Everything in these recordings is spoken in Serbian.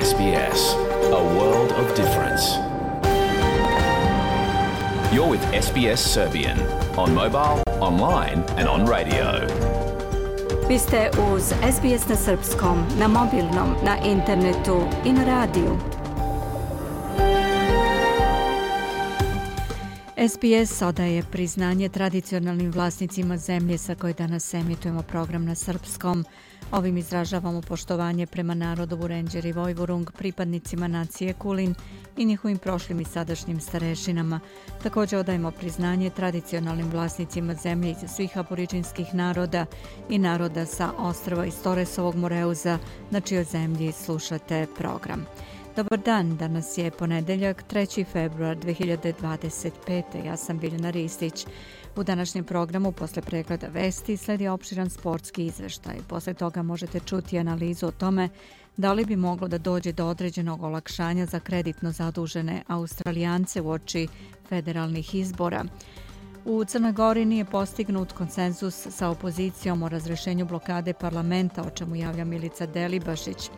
SBS, a world of difference. You're with SBS Serbian on mobile, online and on radio. Vi ste uz SBS na srpskom, na mobilnom, na internetu i na radiju. SBS odaje priznanje tradicionalnim vlasnicima zemlje sa koje danas emitujemo program na srpskom. Ovim izražavamo poštovanje prema narodu Vurenđer i Vojvorung, pripadnicima nacije Kulin i njihovim prošlim i sadašnjim starešinama. Također odajemo priznanje tradicionalnim vlasnicima zemlje iz svih aboriđinskih naroda i naroda sa ostrva iz Toresovog Moreuza, na čijoj zemlji slušate program. Dobar dan, danas je ponedeljak, 3. februar 2025. Ja sam Biljana Ristić. U današnjem programu posle pregleda vesti sledi opširan sportski izveštaj. Posle toga možete čuti analizu o tome da li bi moglo da dođe do određenog olakšanja za kreditno zadužene Australijance uoči federalnih izbora. U Crnoj Gori nije postignut konsenzus sa opozicijom o razrešenju blokade parlamenta, o čemu javlja Milica Delibašić.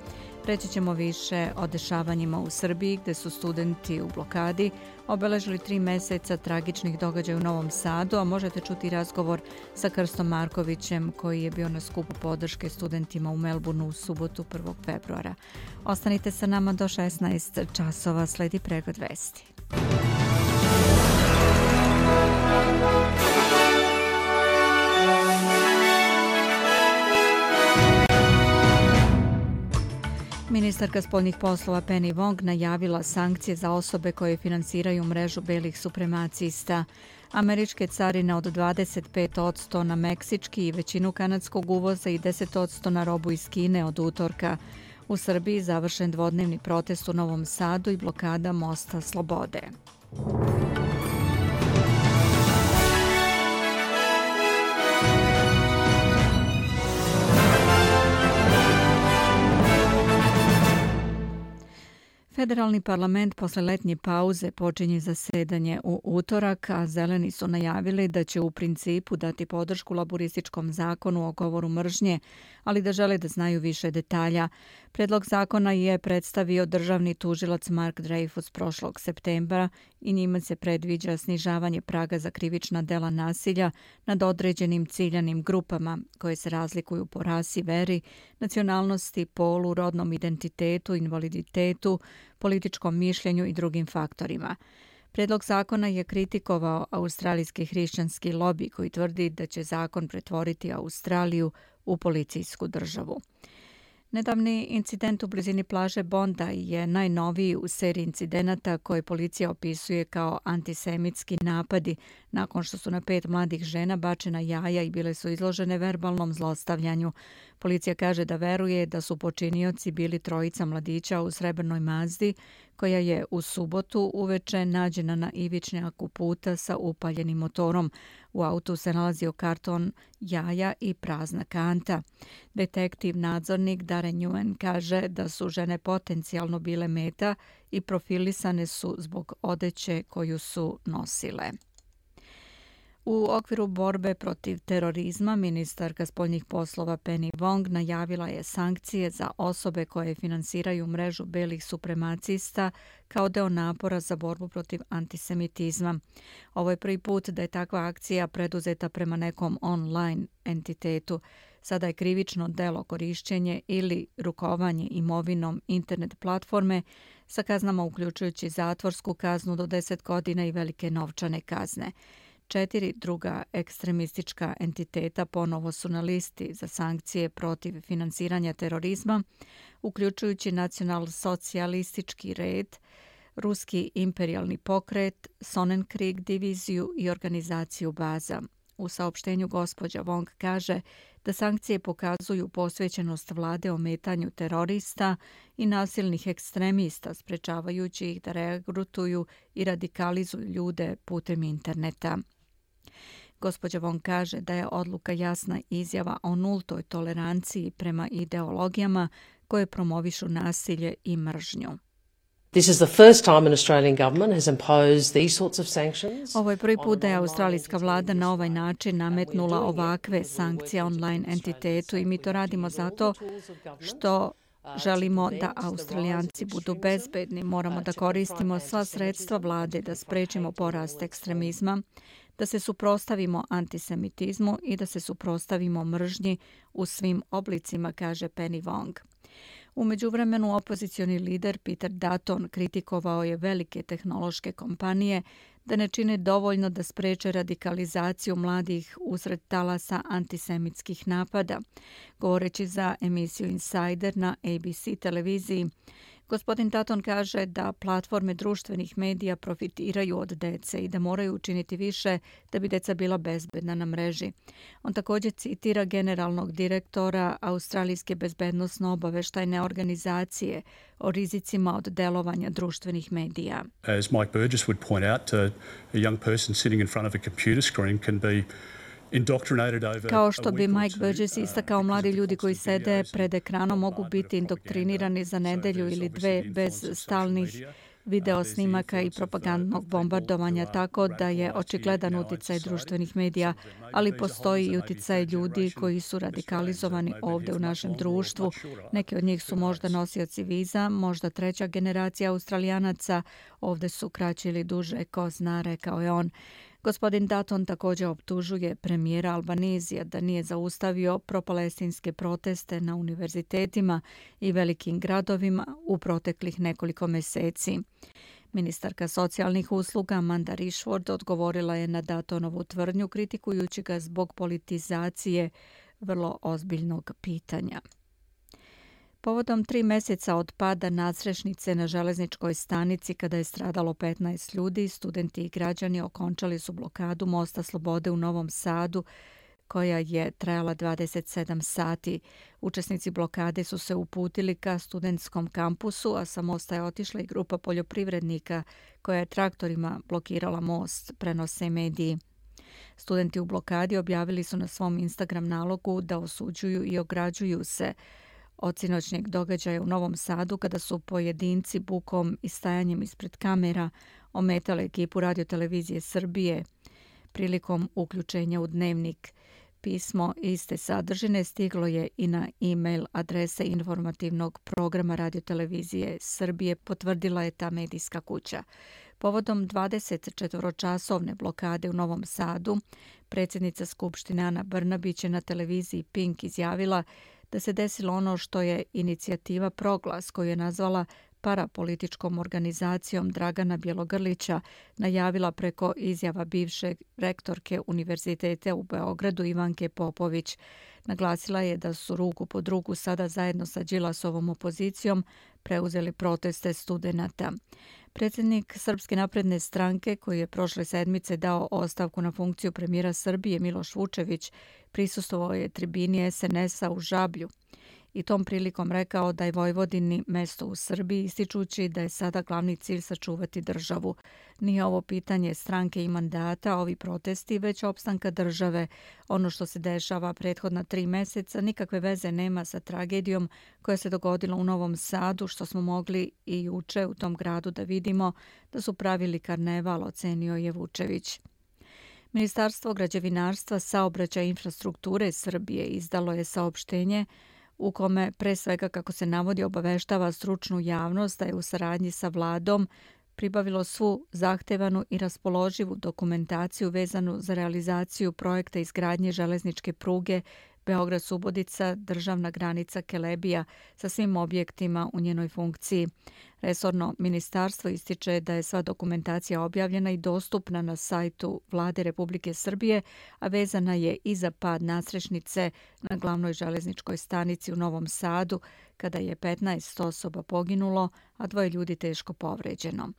Reći ćemo više o dešavanjima u Srbiji, gde su studenti u blokadi obeležili 3 meseca tragičnih događaja u Novom Sadu, a možete čuti razgovor sa Krstom Markovićem koji je bio na skupu podrške studentima u Melbourneu u subotu 1. februara. Ostanite sa nama do 16 časova, sledi pregled vesti. Ministarka spoljnih poslova Penny Wong najavila sankcije za osobe koje finansiraju mrežu belih supremacista. Američke carine od 25% na meksički i većinu kanadskog uvoza i 10% na robu iz Kine od utorka. U Srbiji završen dvodnevni protest u Novom Sadu i blokada mosta Slobode. Federalni parlament posle letnje pauze počinje zasedanje u utorak, a zeleni su najavili da će u principu dati podršku laborističkom zakonu o govoru mržnje, ali da žele da znaju više detalja. Predlog zakona je predstavio državni tužilac Mark Dreyfus prošlog septembra i njima se predviđa snižavanje praga za krivična dela nasilja nad određenim ciljanim grupama koje se razlikuju po rasi, veri, nacionalnosti, polu, rodnom identitetu, invaliditetu, političkom mišljenju i drugim faktorima. Predlog zakona je kritikovao australijski hrišćanski lobi koji tvrdi da će zakon pretvoriti Australiju u policijsku državu. Nedavni incident u blizini plaže Bondi je najnoviji u seriji incidenata koje policija opisuje kao antisemitski napadi nakon što su na 5 mladih žena bačena jaja i bile su izložene verbalnom zlostavljanju. Policija kaže da veruje da su počinioci bili 3 mladića u srebrnoj Mazdi koja je u subotu uveče nađena na ivičnjaku puta sa upaljenim motorom. U autu se nalazio karton jaja i prazna kanta. Detektiv nadzornik Darren Nguyen kaže da su žene potencijalno bile meta i profilisane su zbog odeće koju su nosile. U okviru borbe protiv terorizma, ministarka spoljnih poslova Penny Wong najavila je sankcije za osobe koje finansiraju mrežu belih supremacista kao deo napora za borbu protiv antisemitizma. Ovo je prvi put da je takva akcija preduzeta prema nekom online entitetu. Sada je krivično delo korišćenje ili rukovanje imovinom internet platforme sa kaznama uključujući zatvorsku kaznu do 10 godina i velike novčane kazne. 4 druga ekstremistička entiteta ponovo su na listi za sankcije protiv finansiranja terorizma, uključujući nacional-socijalistički red, ruski imperijalni pokret, Sonnenkrieg diviziju i organizaciju Baza. U saopštenju gospođa Wong kaže da sankcije pokazuju posvećenost vlade ometanju terorista i nasilnih ekstremista, sprečavajući ih da regrutuju i radikalizuju ljude putem interneta. Gospođa Wong kaže da je odluka jasna izjava o nultoj toleranciji prema ideologijama koje promovišu nasilje i mržnju. Ovo je prvi put da je australijska vlada na ovaj način nametnula ovakve sankcije online entitetu i mi to radimo zato što Želimo da Australijanci budu bezbedni, moramo da koristimo sva sredstva vlade da sprečimo porast ekstremizma, da se suprotstavimo antisemitizmu i da se suprotstavimo mržnji u svim oblicima, kaže Penny Wong. U međuvremenu opozicioni lider Peter Dutton kritikovao je velike tehnološke kompanije da ne čine dovoljno da spreče radikalizaciju mladih usred talasa antisemitskih napada. Govoreći za emisiju Insider na ABC televiziji, gospodin Dutton kaže da platforme društvenih medija profitiraju od dece i da moraju učiniti više da bi deca bila bezbedna na mreži. On također citira generalnog direktora Australijske bezbednosno-obaveštajne organizacije o rizicima od delovanja društvenih medija. As Mike Burgess would point out, a young person sitting in front of a computer screen can be Kao što bi Mike Burgess istakao, mladi ljudi koji sede pred ekranom mogu biti indoktrinirani za nedelju ili dve bez stalnih video snimaka i propagandnog bombardovanja, tako da je očigledan uticaj društvenih medija, ali postoji i uticaj ljudi koji su radikalizovani ovdje u našem društvu. Neki od njih su možda nosioci viza, možda treća generacija Australijanaca, ovdje su kraće ili duže, ko zna, rekao je on. Gospodin Dutton također optužuje premijera Albanizija da nije zaustavio propalestinske proteste na univerzitetima i velikim gradovima u proteklih nekoliko mjeseci. Ministarka socijalnih usluga Amanda Rishford odgovorila je na Duttonovu tvrdnju kritikujući ga zbog politizacije vrlo ozbiljnog pitanja. Povodom 3 mjeseca od pada nadstrešnice na železničkoj stanici kada je stradalo 15 ljudi, studenti i građani okončali su blokadu Mosta Slobode u Novom Sadu, koja je trajala 27 sati. Učesnici blokade su se uputili ka studentskom kampusu, a sa mosta je otišla i grupa poljoprivrednika koja je traktorima blokirala most, prenose mediji. Studenti u blokadi objavili su na svom Instagram nalogu da osuđuju i ograđuju se od sinoćnjeg događaja u Novom Sadu kada su pojedinci bukom i stajanjem ispred kamera ometali ekipu radiotelevizije Srbije prilikom uključenja u dnevnik. Pismo iste sadržine stiglo je i na e-mail adrese informativnog programa radiotelevizije Srbije, potvrdila je ta medijska kuća. Povodom 24-časovne blokade u Novom Sadu, predsjednica Skupštine Ana Brnabić je na televiziji Pink izjavila da se desilo ono što je inicijativa Proglas, koju je nazvala parapolitičkom organizacijom Dragana Bjelogrlića, najavila preko izjava bivše rektorke Univerziteta u Beogradu Ivanke Popović. Naglasila je da su ruku pod ruku sada zajedno sa Đilasovom opozicijom preuzeli proteste studenata. Predsjednik Srpske napredne stranke, koji je prošle sedmice dao ostavku na funkciju premijera Srbije, Miloš Vučević, prisustvovao je tribini SNS-a u Žablju i tom prilikom rekao da je Vojvodini mesto u Srbiji, ističući da je sada glavni cilj sačuvati državu. Nije ovo pitanje stranke i mandata, ovi protesti, već opstanka države. Ono što se dešava prethodna 3 mjeseca nikakve veze nema sa tragedijom koja se dogodila u Novom Sadu, što smo mogli i juče u tom gradu da vidimo da su pravili karneval, ocenio je Vučević. Ministarstvo građevinarstva, saobraćaja i infrastrukture Srbije izdalo je saopštenje u kome pre svega, kako se navodi, obaveštava stručnu javnost da je u saradnji sa vladom pribavilo svu zahtevanu i raspoloživu dokumentaciju vezanu za realizaciju projekta izgradnje železničke pruge Beograd-Subotica, državna granica Kelebija sa svim objektima u njenoj funkciji. Resorno ministarstvo ističe da je sva dokumentacija objavljena i dostupna na sajtu Vlade Republike Srbije, a vezana je i za pad nadstrešnice na glavnoj železničkoj stanici u Novom Sadu, kada je 15 osoba poginulo, a 2 ljudi teško povređeno.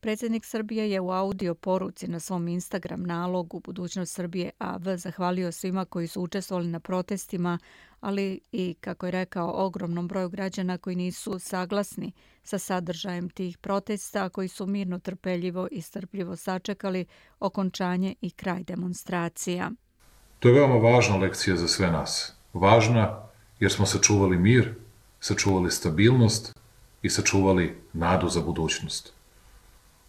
Predsjednik Srbije je u audio poruci na svom Instagram nalogu Budućnost Srbije AV zahvalio svima koji su učestvovali na protestima, ali i, kako je rekao, ogromnom broju građana koji nisu saglasni sa sadržajem tih protesta, koji su mirno, trpeljivo i strpljivo sačekali okončanje i kraj demonstracija. To je veoma važna lekcija za sve nas. Važna jer smo sačuvali mir, sačuvali stabilnost i sačuvali nadu za budućnost.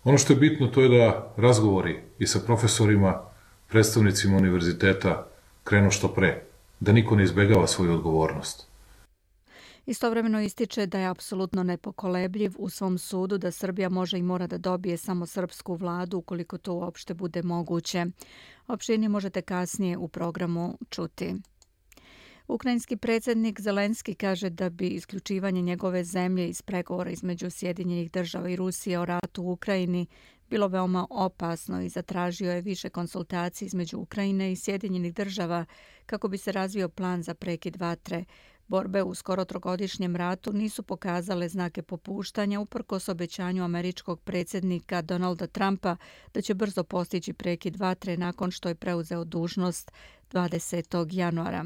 Ono što je bitno to je da razgovori i sa profesorima, predstavnicima univerziteta krenu što pre, da niko ne izbegava svoju odgovornost. Istovremeno ističe da je apsolutno nepokolebljiv u svom sudu da Srbija može i mora da dobije samo srpsku vladu ukoliko to uopšte bude moguće. Opširnije možete kasnije u programu čuti. Ukrajinski predsjednik Zelenski kaže da bi isključivanje njegove zemlje iz pregovora između Sjedinjenih država i Rusije o ratu u Ukrajini bilo veoma opasno i zatražio je više konsultacija između Ukrajine i Sjedinjenih država kako bi se razvio plan za prekid vatre. Borbe u skoro trogodišnjem ratu nisu pokazale znake popuštanja uprkos obećanju američkog predsjednika Donalda Trumpa da će brzo postići prekid vatre nakon što je preuzeo dužnost 20. januara.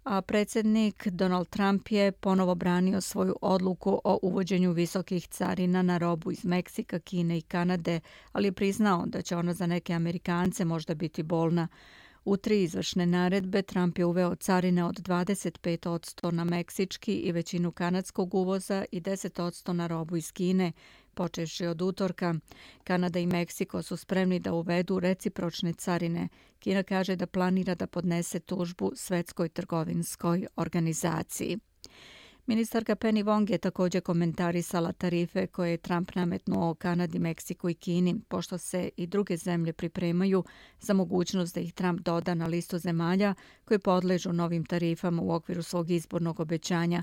A predsjednik Donald Trump je ponovo branio svoju odluku o uvođenju visokih carina na robu iz Meksika, Kine i Kanade, ali je priznao da će ona za neke Amerikance možda biti bolna. U 3 izvršne naredbe Trump je uveo carine od 25% na meksički i većinu kanadskog uvoza i 10% na robu iz Kine, počevši od utorka. Kanada i Meksiko su spremni da uvedu recipročne carine. Kina kaže da planira da podnese tužbu Svetskoj trgovinskoj organizaciji. Ministarka Penny Wong je također komentarisala tarife koje je Trump nametnuo Kanadi, Meksiku i Kini, pošto se i druge zemlje pripremaju za mogućnost da ih Trump doda na listu zemalja koje podležu novim tarifama u okviru svog izbornog obećanja.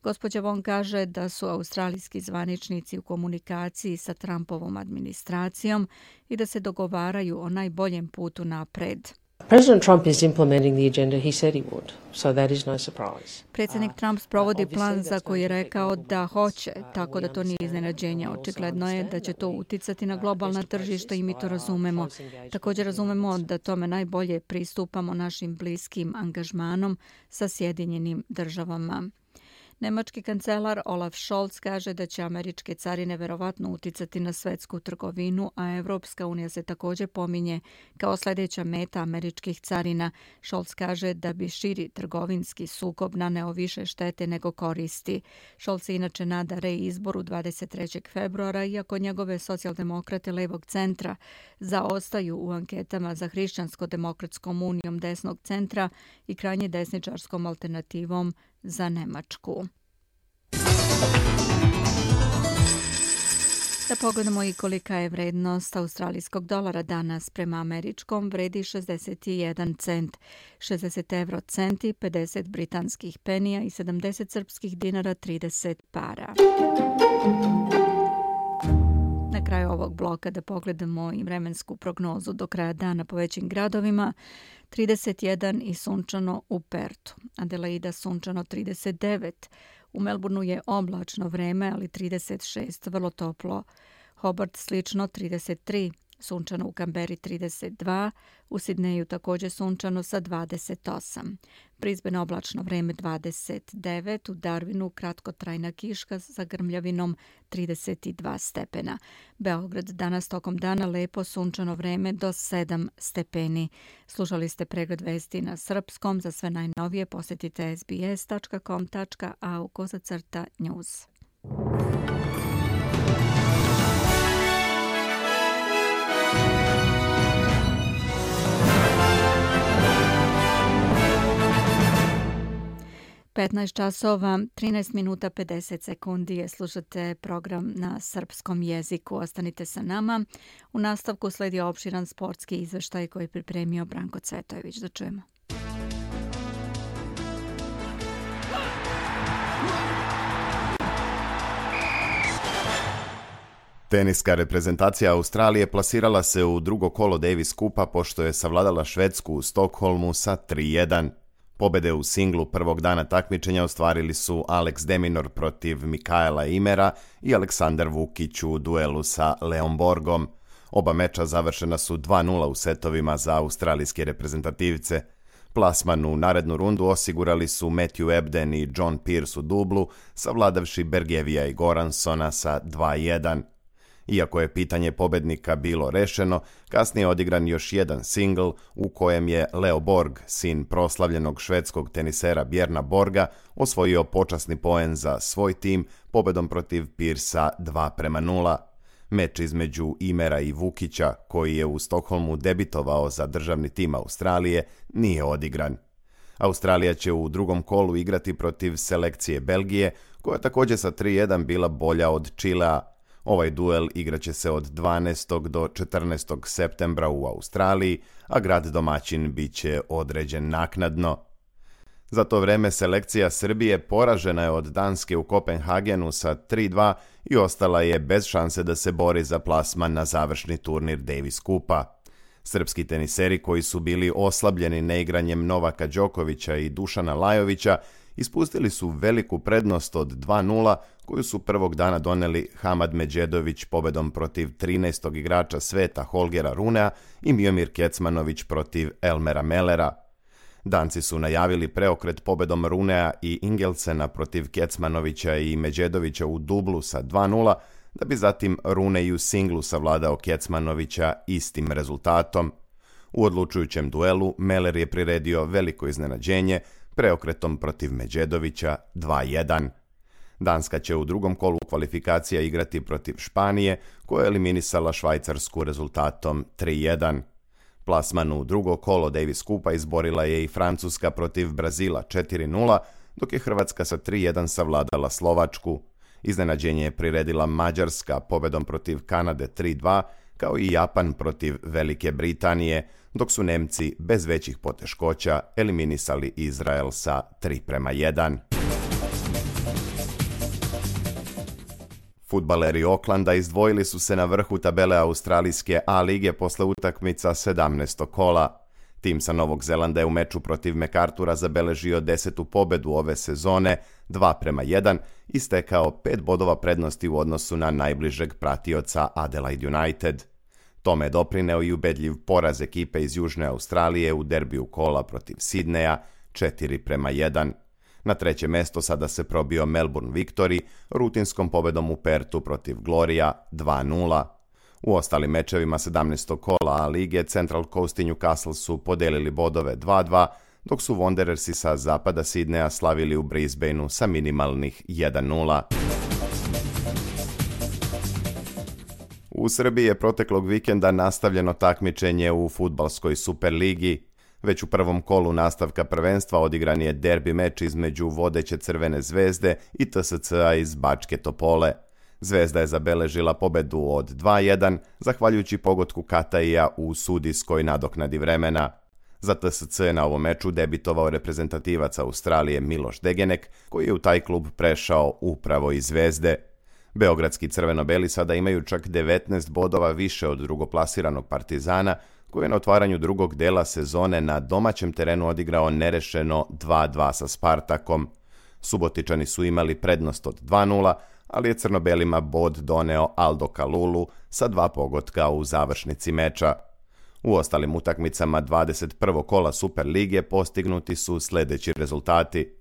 Gospođa Wong kaže da su australijski zvaničnici u komunikaciji sa Trumpovom administracijom i da se dogovaraju o najboljem putu napred. President Trump is implementing the agenda he said he would, so that is no surprise. Predsjednik Trump sprovodi plan za koji je rekao da hoće, tako da to nije iznenađenje. Očigledno je da će to uticati na globalna tržišta i mi to razumemo. Također razumemo da tome najbolje pristupamo našim bliskim angažmanom sa Sjedinjenim državama. Nemački kancelar Olaf Scholz kaže da će američke carine verovatno uticati na svetsku trgovinu, a Evropska unija se također pominje kao sljedeća meta američkih carina. Scholz kaže da bi širi trgovinski sukob naneo više štete nego koristi. Scholz se inače nada reizboru 23. februara, iako njegove socijaldemokrate levog centra zaostaju u anketama za Hrišćansko-demokratskom unijom desnog centra i krajnje desničarskom alternativom za Nemačku. Da pogledamo i kolika je vrednost australijskog dolara danas prema američkom, vredi 61 cent, 60 euro centi, 50 britanskih penija i 70 srpskih dinara 30 para. Na kraju ovog bloka da pogledamo i vremensku prognozu do kraja dana po većim gradovima. 31 i sunčano u Pertu, Adelaida sunčano 39, u Melbourneu je oblačno vreme, ali 36, vrlo toplo. Hobart slično 33, sunčano u Kamberi 32, u Sidneju također sunčano sa 28. Brisbane oblačno vreme 29, u Darwinu kratkotrajna kiška sa grmljavinom 32 stepena. Beograd danas tokom dana lepo sunčano vreme do 7 stepeni. Slušali ste pregled vesti na srpskom. Za sve najnovije posjetite sbs.com.au/news. časova, 13 minuta 50 sekundi je slušate program na srpskom jeziku. Ostanite sa nama. U nastavku sledi opširan sportski izveštaj koji je pripremio Branko Cvetojević. Da čujemo. Teniska reprezentacija Australije plasirala se u drugo kolo Davis Kupa pošto je savladala Švedsku u Stokholmu sa 3:1. Pobede u singlu prvog dana takmičenja ostvarili su Alex de Minaur protiv Mikaela Imera i Aleksandar Vukić u duelu sa Leon Borgom. Oba meča završena su 2:0 u setovima za australijske reprezentativce. Plasman u narednu rundu osigurali su Matthew Ebden i John Pearce u dublu, savladavši Bergevija i Goransona sa 2:1. Iako je pitanje pobednika bilo rešeno, kasnije je odigran još jedan singl u kojem je Leo Borg, sin proslavljenog švedskog tenisera Bjerna Borga, osvojio počasni poen za svoj tim pobedom protiv Pearcea 2:0. Meč između Imera i Vukića, koji je u Stokholmu debitovao za državni tim Australije, nije odigran. Australija će u drugom kolu igrati protiv selekcije Belgije, koja je također sa 3:1 bila bolja od Čilea. Ovaj duel igraće se od 12. do 14. septembra u Australiji, a grad domaćin bit će određen naknadno. Za to vreme selekcija Srbije poražena je od Danske u Kopenhagenu sa 3:2 i ostala je bez šanse da se bori za plasman na završni turnir Davis Kupa. Srpski teniseri koji su bili oslabljeni neigranjem Novaka Đokovića i Dušana Lajovića ispustili su veliku prednost od 2:0 koju su prvog dana doneli Hamad Medžedović pobedom protiv 13. igrača sveta Holgera Runea i Miomir Kecmanović protiv Elmera Mellera. Danci su najavili preokret pobedom Runea i Ingelsena protiv Kecmanovića i Medžedovića u dublu sa 2:0, da bi zatim Rune i u singlu savladao Kecmanovića istim rezultatom. U odlučujućem duelu Meller je priredio veliko iznenađenje preokretom protiv Medžedovića 2:1. Danska će u drugom kolu kvalifikacija igrati protiv Španije, koja je eliminisala Švajcarsku rezultatom 3:1. Plasman u drugo kolo Davis Kupa izborila je i Francuska protiv Brazila 4:0, dok je Hrvatska sa 3:1 savladala Slovačku. Iznenađenje je priredila Mađarska pobedom protiv Kanade 3:2, kao i Japan protiv Velike Britanije, dok su Nemci bez većih poteškoća eliminisali Izrael sa 3:1. Fudbaleri Oklanda izdvojili su se na vrhu tabele australijske A lige posle utakmica 17. kola. Tim sa Novog Zelanda je u meču protiv MacArthura zabeležio 10. pobedu ove sezone, 2:1, i stekao 5 bodova prednosti u odnosu na najbližeg pratioca Adelaide United. Tome je doprineo i ubedljiv poraz ekipe iz Južne Australije u derbiju kola protiv Sidneja 4:1. Na treće mesto sada se probio Melbourne Victory rutinskom pobedom u Pertu protiv Gloria 2:0. U ostalim mečevima 17. kola A lige Central Coast i Newcastle su podelili bodove 2:2, dok su Wanderersi sa zapada Sidneja slavili u Brisbaneu sa minimalnih 1:0. U Srbiji je proteklog vikenda nastavljeno takmičenje u fudbalskoj Superligi. Već u prvom kolu nastavka prvenstva odigran je derbi meč između vodeće Crvene zvezde i TSC-a iz Bačke Topole. Zvezda je zabeležila pobedu od 2:1, zahvaljujući pogotku Kataija u sudijskoj nadoknadi vremena. Za TSC je na ovom meču debitovao reprezentativac Australije Miloš Degenek, koji je u taj klub prešao upravo iz Zvezde. Beogradski crveno-beli sada imaju čak 19 bodova više od drugoplasiranog Partizana, koji je na otvaranju drugog dela sezone na domaćem terenu odigrao nerešeno 2:2 sa Spartakom. Subotičani su imali prednost od 2:0, ali je crno-belima bod doneo Aldo Kalulu sa 2 pogotka u završnici meča. U ostalim utakmicama 21. kola Superlige postignuti su sljedeći rezultati: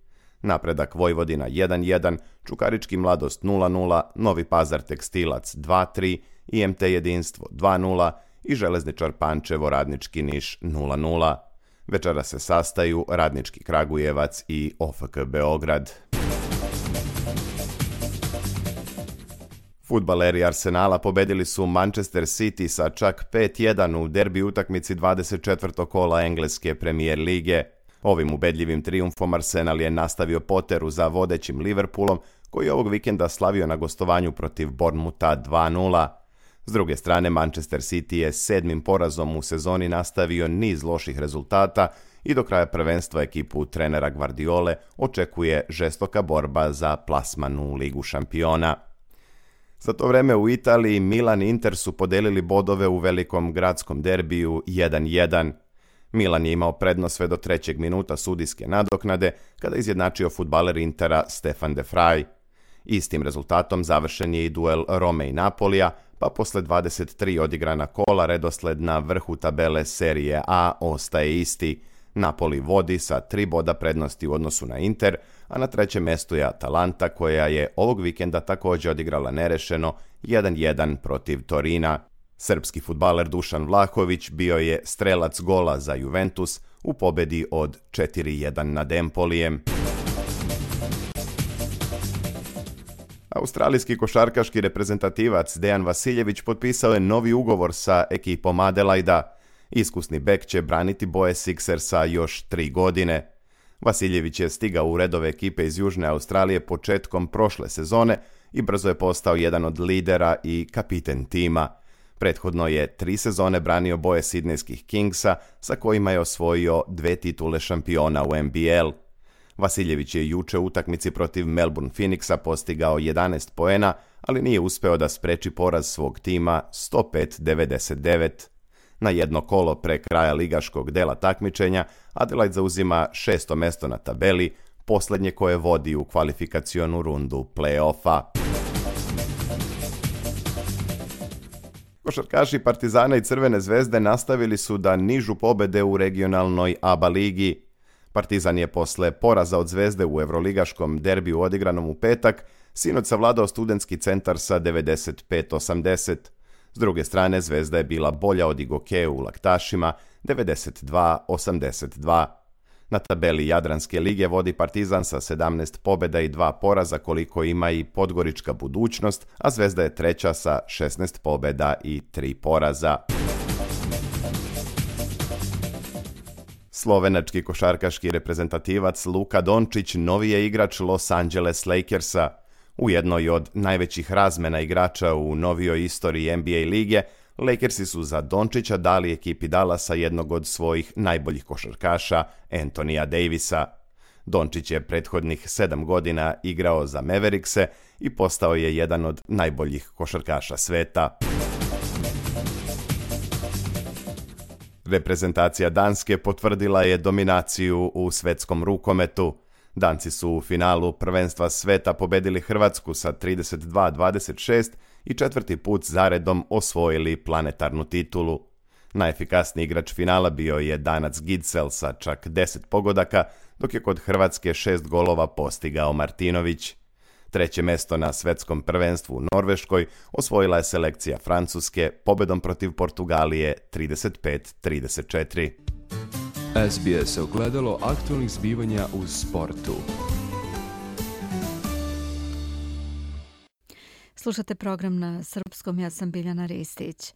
Napredak Vojvodina 1:1, Čukarički Mladost 0:0, Novi Pazar Tekstilac 2:3, IMT Jedinstvo 2:0 i Železničar Pančevo Radnički Niš 0:0. Večera se sastaju Radnički Kragujevac i OFK Beograd. Fudbaleri Arsenala pobedili su Manchester City sa čak 5:1 u derbi utakmici 24. kola engleske Premier lige. Ovim ubedljivim trijumfom Arsenal je nastavio poteru za vodećim Liverpoolom, koji je ovog vikenda slavio na gostovanju protiv Bournemoutha 2:0. S druge strane, Manchester City je 7. porazom u sezoni nastavio niz loših rezultata i do kraja prvenstva ekipu trenera Guardiole očekuje žestoka borba za plasman u Ligu šampiona. Za to vreme u Italiji Milan i Inter su podelili bodove u velikom gradskom derbiju 1:1. Milan je imao prednost sve do 3. minuta sudijske nadoknade, kada je izjednačio fudbaler Intera Stefan de Vrij. Istim rezultatom završen je i duel Rome i Napolija, pa posle 23 odigrana kola redosled na vrhu tabele Serije A ostaje isti. Napoli vodi sa 3 boda prednosti u odnosu na Inter, a na trećem mestu je Atalanta, koja je ovog vikenda također odigrala nerešeno 1:1 protiv Torina. Srpski fudbaler Dušan Vlahović bio je strelac gola za Juventus u pobedi od 4:1 nad Empolijem. Australijski košarkaški reprezentativac Dejan Vasiljević potpisao je novi ugovor sa ekipom Adelaida. Iskusni bek će braniti boje Sixersa još 3 godine. Vasiljević je stigao u redove ekipe iz Južne Australije početkom prošle sezone i brzo je postao jedan od lidera i kapiten tima. Prethodno je 3 sezone branio boje Sidnejskih Kingsa, sa kojima je osvojio 2 titule šampiona u NBL. Vasiljević je juče u utakmici protiv Melbourne Phoenixa postigao 11 poena, ali nije uspeo da spreči poraz svog tima 105-99. Na jedno kolo pre kraja ligaškog dela takmičenja, Adelaide zauzima 6. mesto na tabeli, posljednje koje vodi u kvalifikacionu rundu play-offa. Košarkaši Partizana i Crvene zvezde nastavili su da nižu pobede u regionalnoj ABA ligi. Partizan je posle poraza od Zvezde u evroligaškom derbiju odigranom u petak sinoć savladao Studentski centar sa 95-80. S druge strane, Zvezda je bila bolja od Igoke u Laktašima 92-82. Na tabeli Jadranske lige vodi Partizan sa 17 pobjeda i 2 poraza koliko ima i Podgorička Budućnost, a Zvezda je treća sa 16 pobjeda i 3 poraza. Slovenački košarkaški reprezentativac Luka Dončić novi je igrač Los Angeles Lakersa. U jednoj od najvećih razmena igrača u novijoj istoriji NBA lige, Lakersi su za Dončića dali ekipi Dallasa jednog od svojih najboljih košarkaša, Anthonyja Davisa. Dončić je prethodnih 7 godina igrao za Maverickse i postao je jedan od najboljih košarkaša sveta. Reprezentacija Danske potvrdila je dominaciju u svetskom rukometu. Danci su u finalu prvenstva sveta pobedili Hrvatsku sa 32-26 i 4. put zaredom osvojili planetarnu titulu. Najefikasniji igrač finala bio je Danac Gidsel sa čak 10 pogodaka, dok je kod Hrvatske 6 golova postigao Martinović. 3. mesto na svetskom prvenstvu u Norveškoj osvojila je selekcija Francuske pobedom protiv Portugalije 35-34. SBS ogledalo aktualnih zbivanja u sportu. Slušate program na srpskom, ja sam Biljana Ristić.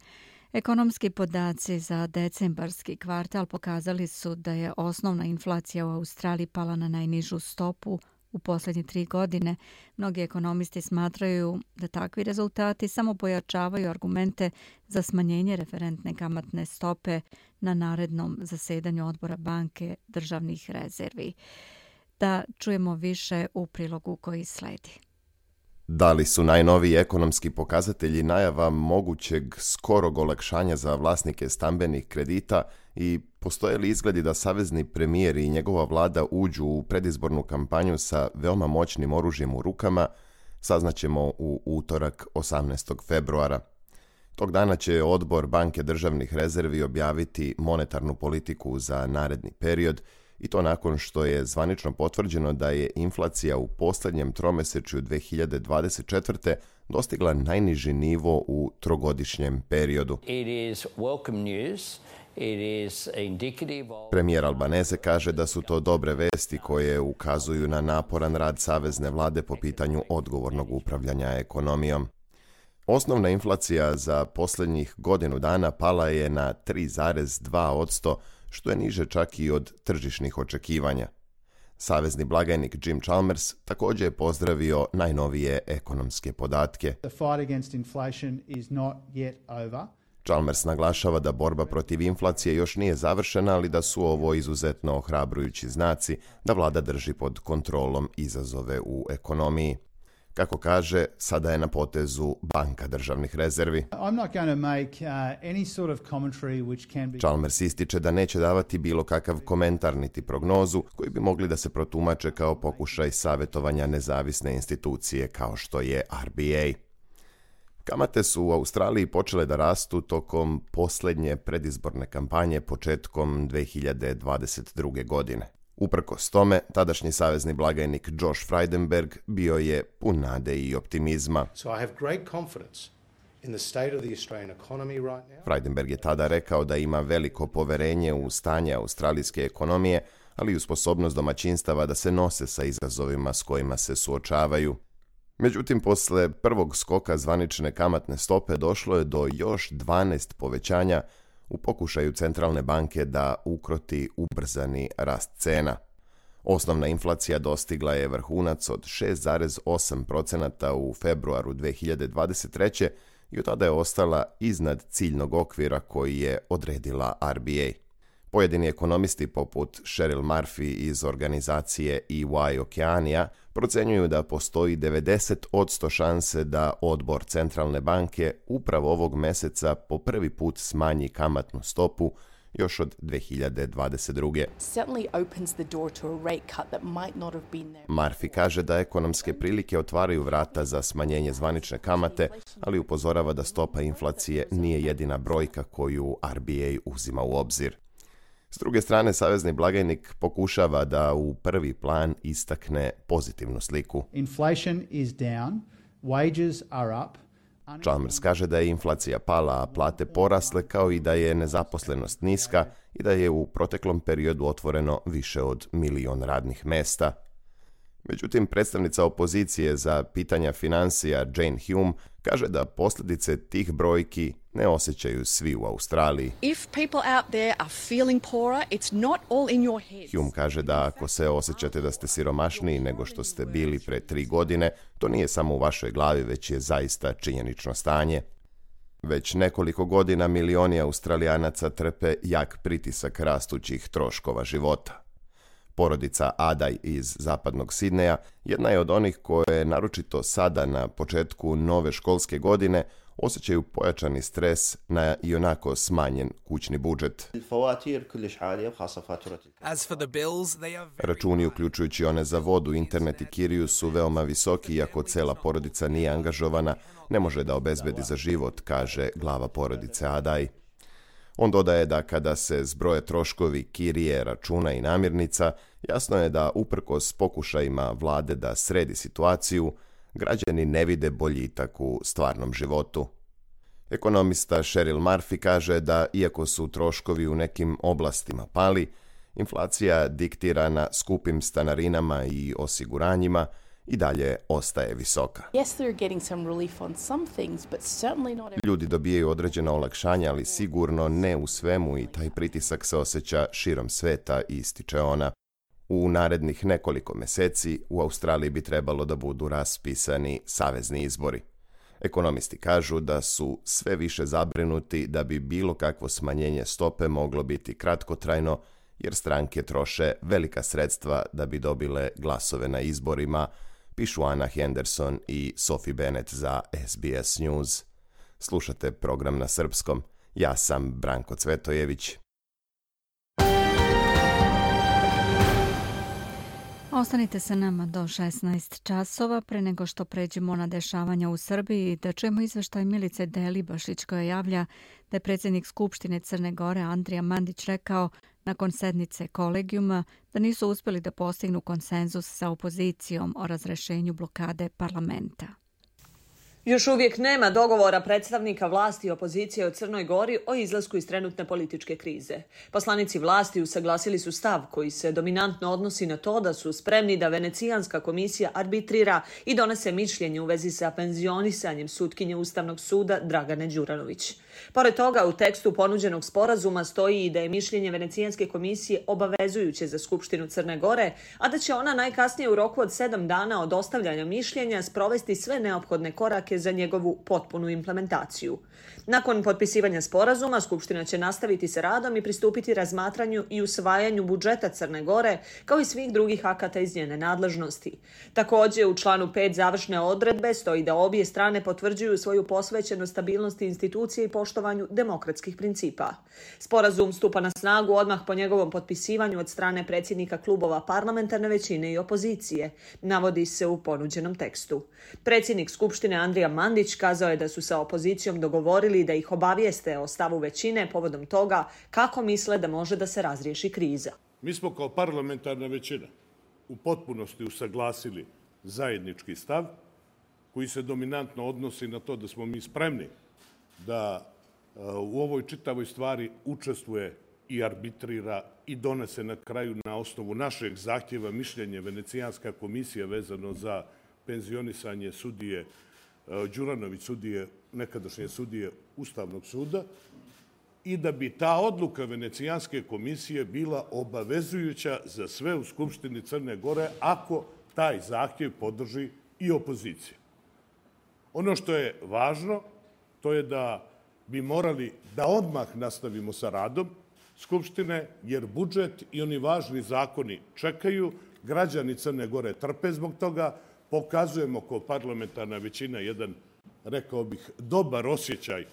Ekonomski podaci za decembarski kvartal pokazali su da je osnovna inflacija u Australiji pala na najnižu stopu u posljednje 3 godine. Mnogi ekonomisti smatraju da takvi rezultati samo pojačavaju argumente za smanjenje referentne kamatne stope na narednom zasedanju odbora banke državnih rezervi. Da čujemo više u prilogu koji sledi. Da li su najnoviji ekonomski pokazatelji najava mogućeg skorog olakšanja za vlasnike stambenih kredita i postoje li izgledi da savezni premijer i njegova vlada uđu u predizbornu kampanju sa veoma moćnim oružjem u rukama, saznaćemo u utorak 18. februara. Tog dana će odbor Banke državnih rezervi objaviti monetarnu politiku za naredni period, i to nakon što je zvanično potvrđeno da je inflacija u posljednjem tromesečju 2024. dostigla najniži nivo u trogodišnjem periodu. Premijer Albanese kaže da su to dobre vesti koje ukazuju na naporan rad savezne vlade po pitanju odgovornog upravljanja ekonomijom. Osnovna inflacija za posljednjih godinu dana pala je na 3,2%, što je niže čak i od tržišnih očekivanja. Savezni blagajnik Jim Chalmers također je pozdravio najnovije ekonomske podatke. Chalmers naglašava da borba protiv inflacije još nije završena, ali da su ovo izuzetno ohrabrujući znaci da vlada drži pod kontrolom izazove u ekonomiji. Kako kaže, sada je na potezu Banka državnih rezervi. Chalmers ističe da neće davati bilo kakav komentar niti prognozu koji bi mogli da se protumače kao pokušaj savjetovanja nezavisne institucije kao što je RBA. Kamate su u Australiji počele da rastu tokom posljednje predizborne kampanje početkom 2022. godine. Uprkos tome, tadašnji savezni blagajnik Josh Frydenberg bio je pun nade i optimizma. Frydenberg je tada rekao da ima veliko poverenje u stanje australijske ekonomije, ali i u sposobnost domaćinstava da se nose sa izazovima s kojima se suočavaju. Međutim, posle prvog skoka zvanične kamatne stope došlo je do još 12 povećanja u pokušaju centralne banke da ukroti ubrzani rast cena. Osnovna inflacija dostigla je vrhunac od 6,8% u februaru 2023. i od tada je ostala iznad ciljnog okvira koji je odredila RBA. Pojedini ekonomisti poput Cheryl Murphy iz organizacije EY Okeanija procenjuju da postoji 90% šanse da odbor centralne banke upravo ovog meseca po prvi put smanji kamatnu stopu još od 2022. Murphy kaže da ekonomske prilike otvaraju vrata za smanjenje zvanične kamate, ali upozorava da stopa inflacije nije jedina brojka koju RBA uzima u obzir. S druge strane, savezni blagajnik pokušava da u prvi plan istakne pozitivnu sliku. Inflation is down, wages are up. Chalmers kaže da je inflacija pala, a plate porasle, kao i da je nezaposlenost niska i da je u proteklom periodu otvoreno više od 1 milion radnih mesta. Međutim, predstavnica opozicije za pitanja financija Jane Hume kaže da posljedice tih brojki ne osjećaju svi u Australiji. Hume kaže da ako se osjećate da ste siromašniji nego što ste bili pre 3 godine, to nije samo u vašoj glavi, već je zaista činjenično stanje. Već nekoliko godina milioni Australijanaca trpe jak pritisak rastućih troškova života. Porodica Adaj iz zapadnog Sidneja jedna je od onih koje naročito sada na početku nove školske godine osjećaju pojačani stres na ionako smanjen kućni budžet. Računi, uključujući one za vodu, internet i kiriju, su veoma visoki, iako cela porodica nije angažovana, ne može da obezbedi za život, kaže glava porodice Adaj. On dodaje da kada se zbroje troškovi kirije, računa i namirnica, jasno je da uprkos pokušajima vlade da sredi situaciju, građani ne vide boljitak u stvarnom životu. Ekonomista Cheryl Murphy kaže da iako su troškovi u nekim oblastima pali, inflacija diktirana skupim stanarinama i osiguranjima i dalje ostaje visoka. Ljudi dobijaju određena olakšanja, ali sigurno ne u svemu i taj pritisak se osjeća širom sveta, ističe ona. U narednih nekoliko meseci u Australiji bi trebalo da budu raspisani savezni izbori. Ekonomisti kažu da su sve više zabrinuti da bi bilo kakvo smanjenje stope moglo biti kratkotrajno, jer stranke troše velika sredstva da bi dobile glasove na izborima, pišu Ana Henderson i Sophie Bennett za SBS News. Slušate program na srpskom. Ja sam Branko Cvetojević. Ostanite sa nama do 16 časova pre nego što pređemo na dešavanja u Srbiji, da čujemo izveštaj Milice Delibašić koja javlja da je predsjednik Skupštine Crne Gore Andrija Mandić rekao nakon sednice kolegijuma da nisu uspjeli da postignu konsenzus sa opozicijom o razrešenju blokade parlamenta. Još uvijek nema dogovora predstavnika vlasti i opozicije u Crnoj Gori o izlasku iz trenutne političke krize. Poslanici vlasti usaglasili su stav koji se dominantno odnosi na to da su spremni da Venecijanska komisija arbitrira i donese mišljenje u vezi sa penzionisanjem sutkinje Ustavnog suda Dragane Đuranović. Pored toga, u tekstu ponuđenog sporazuma stoji i da je mišljenje Venecijanske komisije obavezujuće za Skupštinu Crne Gore, a da će ona najkasnije u roku od 7 dana od dostavljanja mišljenja sprovesti sve neophodne korake za njegovu potpunu implementaciju. Nakon potpisivanja sporazuma, Skupština će nastaviti sa radom i pristupiti razmatranju i usvajanju budžeta Crne Gore, kao i svih drugih akata iz njene nadležnosti. Također, u članu 5 završne odredbe stoji da obje strane potvrđuju svoju posvećenost stabilnosti institucije i poštovanju demokratskih principa. Sporazum stupa na snagu odmah po njegovom potpisivanju od strane predsjednika klubova parlamentarne većine i opozicije, navodi se u ponuđenom tekstu. Predsjednik Skupštine Andrija Mandić kazao je da su sa opozicijom dogovorili da ih obavijeste o stavu većine povodom toga kako misle da može da se razriješi kriza. Mi smo kao parlamentarna većina u potpunosti usaglasili zajednički stav koji se dominantno odnosi na to da smo mi spremni da u ovoj čitavoj stvari učestvuje i arbitrira i donese na kraju na osnovu našeg zahtjeva mišljenje Venecijanska komisija vezano za penzionisanje sudije Đuranović, nekadašnje sudije Ustavnog suda. i da bi ta odluka Venecijanske komisije bila obavezujuća za sve u Skupštini Crne Gore ako taj zahtjev podrži i opozicija. Ono što je važno, to je da bi morali da odmah nastavimo sa radom Skupštine, jer budžet i oni važni zakoni čekaju, građani Crne Gore trpe zbog toga, pokazujemo kao parlamentarna većina jedan, rekao bih, dobar osjećaj